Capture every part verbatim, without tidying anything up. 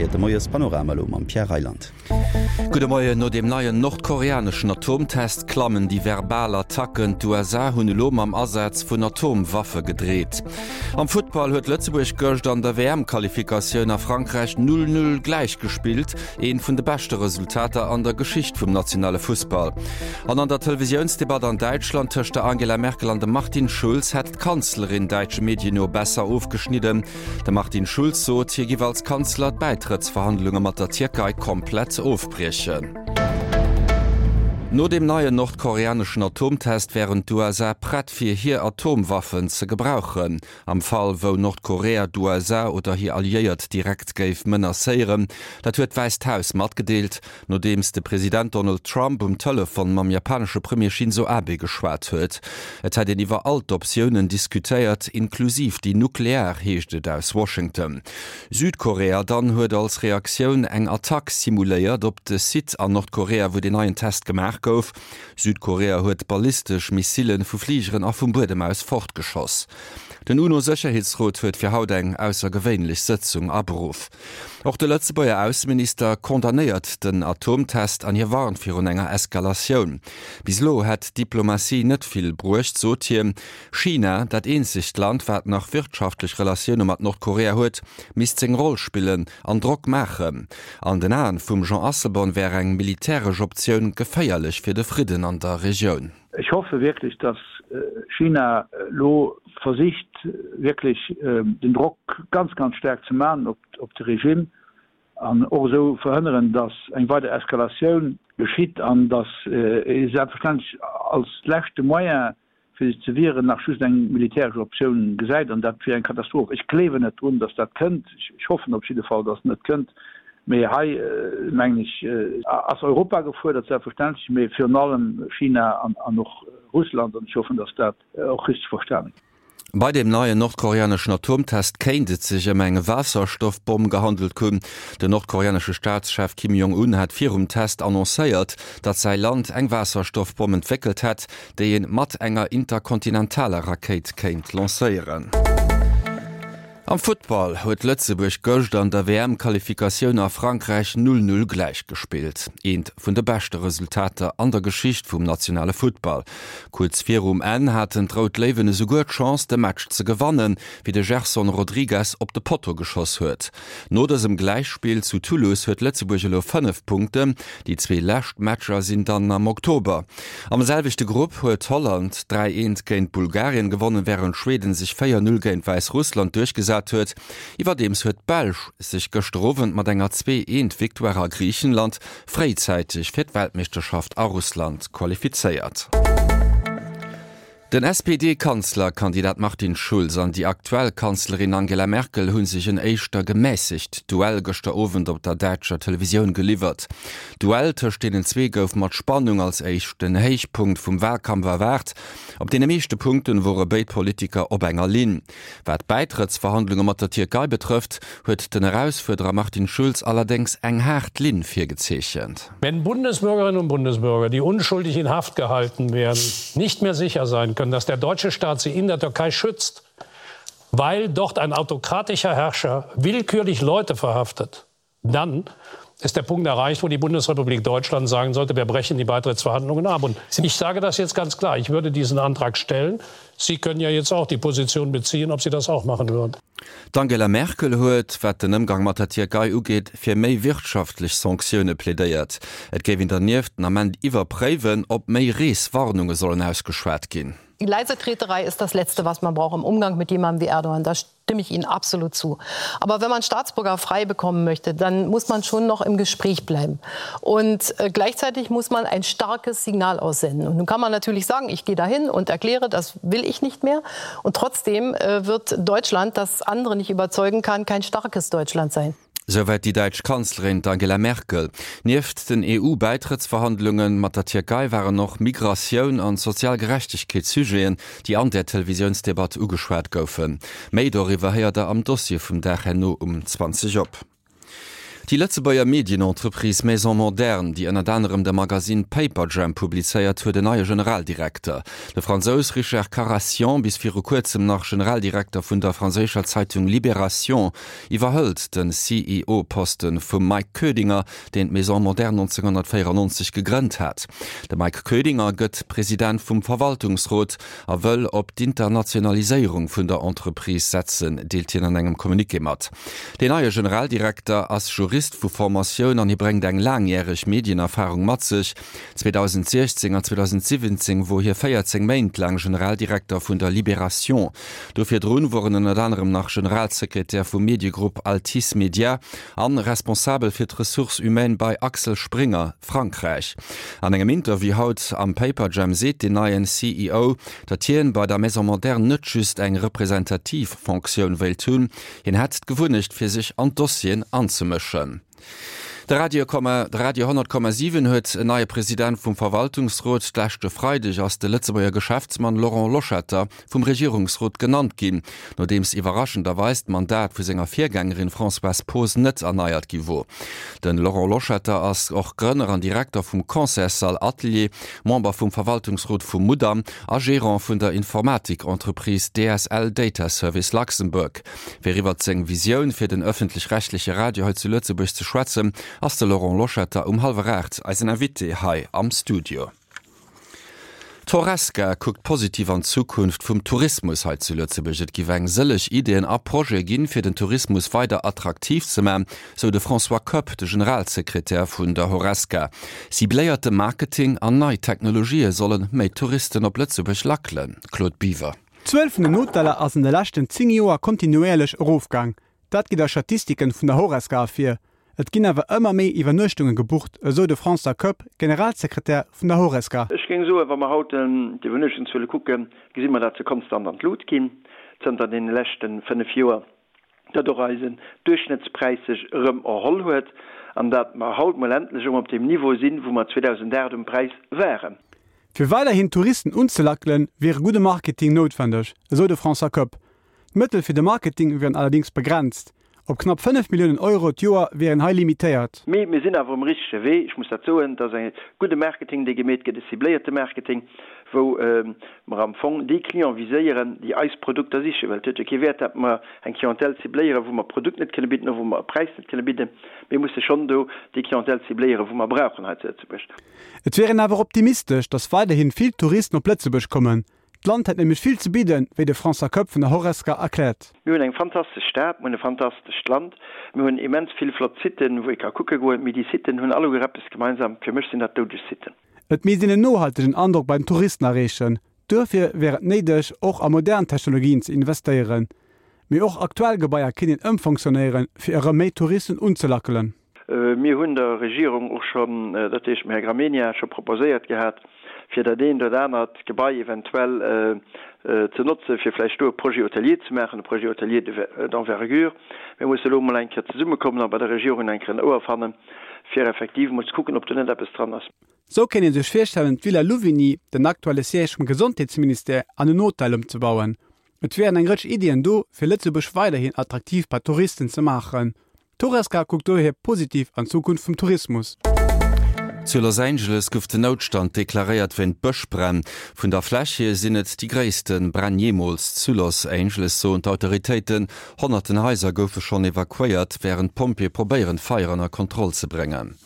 Dir héiert de Moiespanorama elo mam Pierre Reyland. Gudde Moien, No deem neien nordkoreaneschen Atomtest klammen déi verbal Attacken. D'USA hunn elo mam Asaz vun Atomwaffe gedreet. Am Futtball huet Lëtzebuerg gëscht an der WM-Qualifikatioun a Frankräich null, null gläichgespillt, eent vun de beschte Resultater an der Geschicht vum nationale Fussball. An an der Televisiounsdebatt an Däitschland tëscht der Angela Merkel an dem Martin Schulz hätt d'Kanzlerin däitsche Medien no besser ofgeschnidden. De Martin Schulz sot, hie giff als Kanzler d'Bäitrëttsverhandlunge mat der Tierkei komplett ofbriechen. No deem neien nordkoreaneschen Atomtest wären d'USA prett fir hir Atomwaffen ze gebrauchen, am Fall wou Nordkorea d'USA oder hir Alliéiert direkt géif menacéieren. Dat huet d'Wäisst Haus matgedeelt, nodeems de President Donald Trump um Telefon mam japanesche Premier Shinzo Abe geschwat huet. Et hätt een iwwer all d'Optiounen diskutéiert, inklusiv déi nuklear, heescht et aus Washington. Südkorea dann huet als Reaktioun eng Attack simuléiert op de Site an Nordkorea, wou deen neien Test gemaach gouf. Südkorea huet ballistesch Missile vu Fligeren a vum Buedem aus fortgeschoss. Den UNO-Sécherheetsrot huet fir haut eng aussergewéinlech Sëtzung aberuff. Och de Lëtzebuerger Ausseminister condamnéiert den Atomtest an hie warnt virun enger Eskalatioun. Bis elo hätt d'Diplomatie net vill bruecht, sot hien. China, dat eenzegt Land, wat nach wirtschaftlech Relatioune mat Nordkorea huet, misst seng Roll spillen an Drock maachen. An den Aen vum Jean Asselborn wär eng militäresch Optioun geféierlech fir de Fridden an der Regioun. Ech hoffe wierklech, dass China elo versicht wierklech den Drock ganz, ganz staark ze maachen op de Regime an och esou verhënneren, dass eng weider Eskalatioun geschitt an dass ee selbstverständlech als leschte Moyen, fir sech ze wieren, nach just eng militäresch Optioun gesäit, an dat wier eng Katastroph. Ech gleewen net drun, datt dat kënnt. Ech hoffen op jidde Fall, datt et net kënnt. Mee hei, mengen ech, ass Europa gefuerdert, selbstverständlech, mee virun allem China an och Russland. An ech hoffen, datt dat och richteg verstane gëtt. Bei deem neien nordkoreaneschen Atomtest kéint et sech ëm eng Waasserstoffbomm gehandelt hunn. Den nordkoreanesche Staatschef Kim Jong-un hat virum Test annoncéiert, datt säi Land eng Waasserstoffbomm entwéckelt hätt, déi ee mat enger interkontinentaler Rakéit kéint lancéieren. Am Futtball huet Lëtzebuerg gëscht an der WM-Qualifikatioun a Frankräich null null gläichgespillt. Eent vun de beschte Resultater an der Geschicht vum nationale Futtball. Kuerz virum Enn haten d'Rout Léiwen esouguer d'Chance, de Match ze gewannen, wéi de Gerson Rodrigues op de Potto geschoss huet. No dësem Gläichspill zu Toulouse huet Lëtzebuerg elo fënnef Punkten. Déi zwee lescht Matcher sinn dann am Oktober. Am selwechte Grupp huet Holland dräi eent géint Bulgarien gewonnen, wärend Schweden sech véier null géint Wäissrussland duerchgesat huet. Iwwerdeems huet d'Belsch sech gëschter Owend mat enger zwee eent Victoire a Griichenland fréizäiteg fir d'Weltmeeschterschaft a Russland qualifizéiert. Den S P D-Kanzlerkandidat Martin Schulz an déi aktuell Kanzlerin Angela Merkel hu sech en éischter gemässegt Duell gëschter Owend op der däitscher Televisioun geliwwert. D'Duell tëscht deenen zwee gouf mat Spannung als éischten Héichpunkt vum Walkampf erwaart. Op deene meeschte Punkten wore béid Politiker op enger Linn. Wat d'Bäitrëttsverhandlunge mat der Tierkei betrëfft, huet den Erausfuerderer Martin Schulz allerdéngs eng haart Linn virgezeechent. Wenn Bundesbürgerinnen und Bundesbürger, die unschuldig in Haft gehalten werden, nicht mehr sicher sein können, dass der deutsche Staat sie in der Türkei schützt, weil dort ein autokratischer Herrscher willkürlich Leute verhaftet, dann ist der Punkt erreicht, wo die Bundesrepublik Deutschland sagen sollte, wir brechen die Beitrittsverhandlungen ab. Und ich sage das jetzt ganz klar, ich würde diesen Antrag stellen. Sie können ja jetzt auch die Position beziehen, ob Sie das auch machen würden. D'Angela Merkel huet, wat den Ëmgang mat der Tierkei ugeet, fir méi wirtschaftlech Sanktioune plädéiert. Et géif een dernieft den Ament iwwerpréiwen, ob méi Reeswarnunge sollen ausgeschwat ginn. Die Leisetreterei ist das Letzte, was man braucht im Umgang mit jemandem wie Erdogan. Da stimme ich Ihnen absolut zu. Aber wenn man Staatsbürger frei bekommen möchte, dann muss man schon noch im Gespräch bleiben. Und äh, gleichzeitig muss man ein starkes Signal aussenden. Und nun kann man natürlich sagen, ich gehe dahin und erkläre, das will ich nicht mehr. Und trotzdem äh, wird Deutschland, das andere nicht überzeugen kann, kein starkes Deutschland sein. Souwäit déi däitsch Kanzlerin, d'Angela Merkel. Nieft den E U-Bäitrëttsverhandlunge mat der Tierkei waren och Migratioun an sozial Gerechtegkeet Sujeten, déi an där Televisiounsdebatt ugeschwat goufen. Méi doriwwer héiert der am Dossier vum Dag herno um zwanzeg op. Déi Lëtzebuerger Medienentreprise Maison Moderne, déi ënnert anerem de Magasinn Paperjam publizéiert, huet en neie Generaldirekter. De Fransous Richard Karassian, bis viru kuerzem nach Generaldirekter vun der franséischer Zeitung Libération, iwwerhëlt den C E O-Posten vum Mike Koedinger, deen d'Maison Moderne nonzénghonnertvéierennonzeg gegrënnt hat. De Mike Koedinger gëtt President vum Verwaltungsrot a wëll op d'Internationaliséierung vun der Entreprise setzen, deelt hien an engem Communiqué mat. Deen neie Generaldirekter ass Jurist vu Formatioun an hie bréngt eng laangjäreg Medienerfarung mat sech. zweedausendsiechzéng an zweedausendsiwwenzéng wor hie véierzéng Méint laang Generaldirekter vun der Libération. Do virdrun wor en ënnert anerem nach Generalsekretär vum Mediegrupp Altice Media an responsabel fir d'Ressources humaines bei Axel Springer Frankräich. An engem Interview haut am Paperjam seet den neien C E O, datt hien bei der Maison Moderne net just eng representativ Fonctioun wéilt hunn, hien hätt d'Gewunnecht fir sech an d'Dossieren anzemëschen. De Radio de Radio honnert Komma siwen huet en neie President vum Verwaltungsrot. D'leschte Freideg ass de Lëtzebuerger Geschäftsmann Laurent Loschetter vum Regierungsrot genannt ginn, nodeems iwwerraschenderweis d'Mandat vu senger Virgängerin Françoise Poos net erneiert gi wor. De Laurent Loschetter ass och Grënner an Direkter vum Concertssall Atelier, Member vum Verwaltungsrot vum Mudam a Gerant vun der Informatik-Entreprise D S L Data Service Luxembourg. Fir iwwer seng Visioun fir den ëffentlech-rechtleche Radio hei zu Lëtzebuerg ze schwätzen, ass de Laurent Loschetter um hallwer aacht eisen Invité hei am Studio. D'Horesca kuckt positiv an d'Zukunft vum Tourismus hei zu Lëtzebuerg. Et giff eng sëlleg Ideeën a Projete ginn, fir den Tourismus weider attraktiv ze man, sou de François Koepp, de Generalsekretär vun der Horesca. Cibléierte Marketing an nei Technologië solle méi Touristen op Lëtzebuerg lackelen. Claude Biver. D'Zuel vun den Hoteller ass an de leschten zéng Joer kontinuéierlech erofgaang. Dat geet aus Statistiken vun der Horesca ervir. Et ginn awer ëmmer méi Iwwernuechtunge gebucht, esou de François Koepp, Generalsekretär vun der Horesca. Ech géing soen, wa mer haut d'Iwwernuechtungszuele kucken, gesi mer, datt se konstant an d'Lut ginn zënter deene leschte fënnef Joer, datt och eisen Duerchschnëttspräis sech erëm erholl huet an datt mer haut mol endlech erëm op deem Niveau sinn, wou mer zweedausendaacht um Präis waren. Fir weiderhin Touristen unzelackelen, wier e gudde Marketing noutwendeg, esou de François Koepp. D'Mëttel fir de Marketing wieren allerdéngs begrenzt. Op knapp fënnef Milliounen Euro d'Joer wier een hei limitéiert. Mee mir sinn awer um richtege Wee, ech muss dat soen, et ass e gudde Marketing, dee gemeet gëtt, e cibléierte Marketing, wou mer am Fong déi Clients viséieren, déi eis Produkter sichen. Well et huet jo kee Wäert, datt mer eng Clientèle cibléieren, wou mer e Produkt net kënne bidden oder wou mer e Präis net kënne bidden. Mir musse schonn do déi Clientèle cibléieren, wou mer brauchen hei zu Lëtzebuerg. Et wier een awer optimistesch, datt weiderhin vill Touristen op Lëtzebuerg kommen. D'Land hätt nämlech vill ze bidden, wéi de François Koepp vun der Horesca erkläert. Mir hunn eng fantastesch Stad, mir hunn e fantastescht Land, mir hunn immens vill flott Siten, wou ee ka kucke goen. Mee déi Siten hunn alleguer eppes gemeinsam, fir mech sinn dat doudeg Siten. Et misst een en nohaltegen Androck bei den Touristen erreechen. Duerfir wier et néideg, och a modern Technologien ze investéieren. Mee och aktuell Gebaier kéint een ëmfonctionnéieren, fir erëm méi Touristen unzelackelen. Mir hunn der Regierung och schonn, dat heescht dem Här Gramegna, scho proposéiert gehat, fir dat eent oder anert Gebai eventuell ze notzen, fir vläicht do e Projet hôtelier ze maachen, e Projet hôtelier d'envergure. Mir musse elo emol eng Kéier zesummekommen a bei der Regierung eng Kéier en Ouer fannen, fir effektiv emol ze kucken, ob do net eppes dran ass. Sou kéint ee sech virstellen, d'Villa Louvigny, den aktuelle Siège vum Gesondheetsministère, an en Hotel ëmzebauen. Et wieren eng Rëtsch Iddien do, fir Lëtzebuerg weiderhin attraktiv bei Touristen ze maachen. D'Horesca kuckt dohier positiv an d'Zukunft vum Tourismus. Zu Los Angeles gouf den Noutstand deklaréiert wéint Bëschbränn. Vun der Fläch hier sinn et déi gréisste Bränn jeemools zu Los Angeles, soen d'Autoritéiten. Honnerten Haiser goufe schonn evakuéiert, wärend d'Pompjeeë probéieren, d'Feier ënner Kontroll ze bréngen.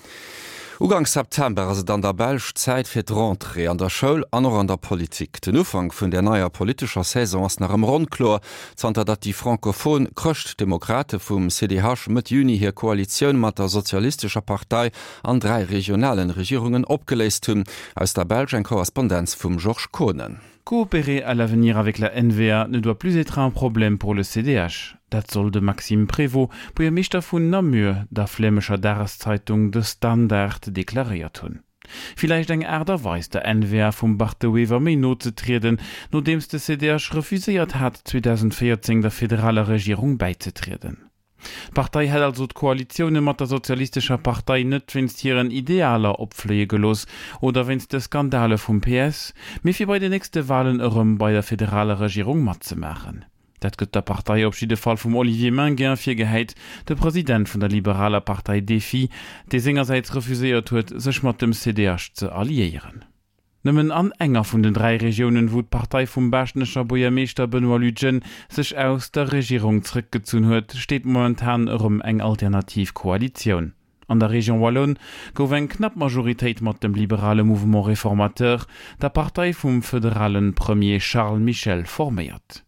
Uganks September ass et an der Belsch Zäit fir d'Rentrée an der Schoul an och an der Politik. Den Ufank vun der neier politescher Saison ass nach ëmmer onkloer, zanter datt déi frankophon Chrëschtdemokrate vum C D H Mëtt Juni hir Koalitioun mat der Sozialistescher Partei an dräi regionalen Regierungen opgeléist hunn. Aus der Belsch eng Korrespondenz vum Georges Kohnen. Coopérer à l'avenir avec la N V A ne doit plus être un problème pour le C D H. Dat soll de Maxime Prévot, Buergermeeschter vun Namur, der flämescher Dageszeitung De Standaard deklaréiert hunn. Villäicht eng Aart a Weis der N V A vum Bart De Wever méi no ze trieden, nodeems de C D H refuséiert hat zweedausendvéierzéng der federaler Regierung bäizetrieden. D'Partei hätt also d'Koalitioune mat der Sozialistescher Partei net wéinst hiren Idealer opfléie gelooss oder wéinst de Skandale vum P S, mee fir bei den nächste Walen erëm bei der federaler Regierung matzemaachen. Dat gëtt der Partei op jidde Fall vum Olivier Maingain virgehäit, de President vun der liberaler Partei DéFI, dee sengersäits refuséiert huet, sech mat dem C D H ze alliéieren. Nëmmen an enger vun den dräi Regiounen, wou d'Partei vum Baaschtnecher Buergermeeschter Benoît Lutgen sech aus der Regierung zréckgezunn huet, steet momentan erëm eng alternativ Koalitioun. An der Région wallonne gouf eng knapp Majoritéit mat dem liberale Mouvement réformateur, der Partei vum federale Premier Charles Michel, forméiert.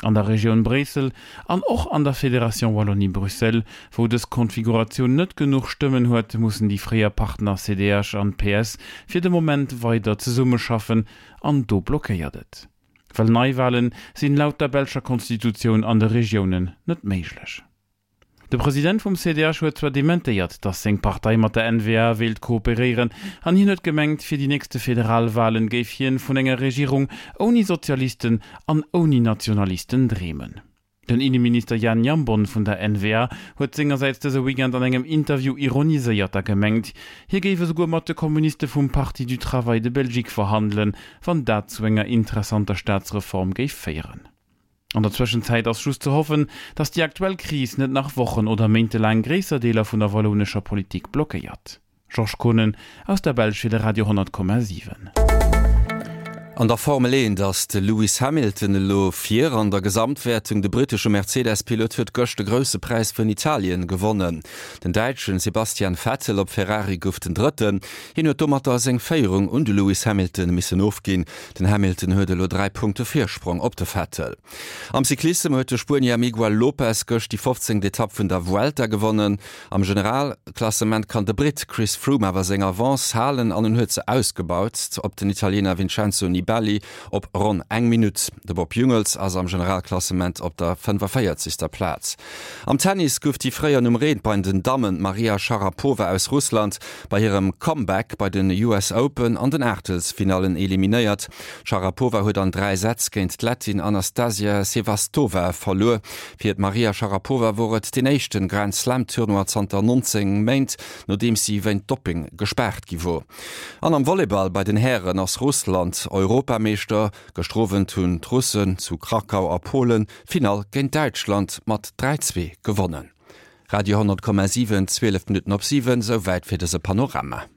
An der Regioun Bréissel an och an der Fédération Wallonie-Bruxelles, wou dës Konfiguratioun net genuch Stëmmen huet, mussen déi fréier Partner C D H an P S fir de Moment weider zesummeschaffen an do blockéiert et. Well Neiwahlen sinn laut der belscher Konstitutioun an de Regiounen net méiglech. De President vum C D H huet zwar dementéiert, datt seng Partei mat der N V A wéilt kooperéieren an hien huet gemengt, fir déi nächste Federalwahlen géif hien vun enger Regierung ouni Sozialisten an ouni Nationalisten dreemen. Den Inneminister Jan Jambon vun der N V A huet sengersäits dëse Weekend an engem Interview ironiséiert a gemengt, hie géif esouguer mat de Kommuniste vum Parti du Travail de Belgique verhandelen, wann dat zu enger interessanter Staatsreform géif féieren. An der Zwëschenzäit ass just ze hoffen, datt déi aktuell Kris net nach Wochen oder méintelaang gréisser Deeler vun der wallounescher Politik blockéiert. Georges Kohnen aus der Belsch fir de Radio honnert Komma siwen. An der Formel eent ass de Lewis Hamilton elo vir an der Gesamtwäertung. De brittesche Mercedes-Pilot huet gëscht de Grousse Präis vun Italien gewonnen. Den Däitschen Sebastian Vettel op Ferrari gouf den Drëtten. Hien huet domatter seng Féierung un de Lewis Hamilton missen ofginn. Den Hamilton huet elo dräi Punkte Virsprong op de Vettel. Am Cyclissem huet de Spuenier Miguel Lopez gëscht déi fofzéngt Etapp vun der Vuelta gewonnen. Am Generalklassement kann de Britt Chris Froome awer seng Avance halen an en huet se ausgebaut op den Italiener Vincenzo Nibali op ronn eng Minutt. De Bob Jungels ass am Generalklassement op der fënnefoféierzegster Plaz. Am Tennis gouf déi fréier Nummer eent bei den Dammen Maria Sharapova aus Russland bei hirem Comeback bei den U S Open an den Aachtelsfinallen eliminéiert. D'Sharapova huet an dräi Sätz géint d'Lettin Anastasia Sevastova verluer. Fir d'Maria Sharapova wor et den éischte Grand Slam Tournoi zanter nonzéng Méint, nodeems si wéint Doping gespaart gi wor. An am Volleyball bei den Hären ass Russland Europameeschter. Gëschter Owend hunn d'Russen zu Krakau a Polen d'Finall géint Däitschland mat dräi zwee gewonnen. Radio honnert Komma siwen, zwielef Minutten op siwen, souwäit fir dëse Panorama.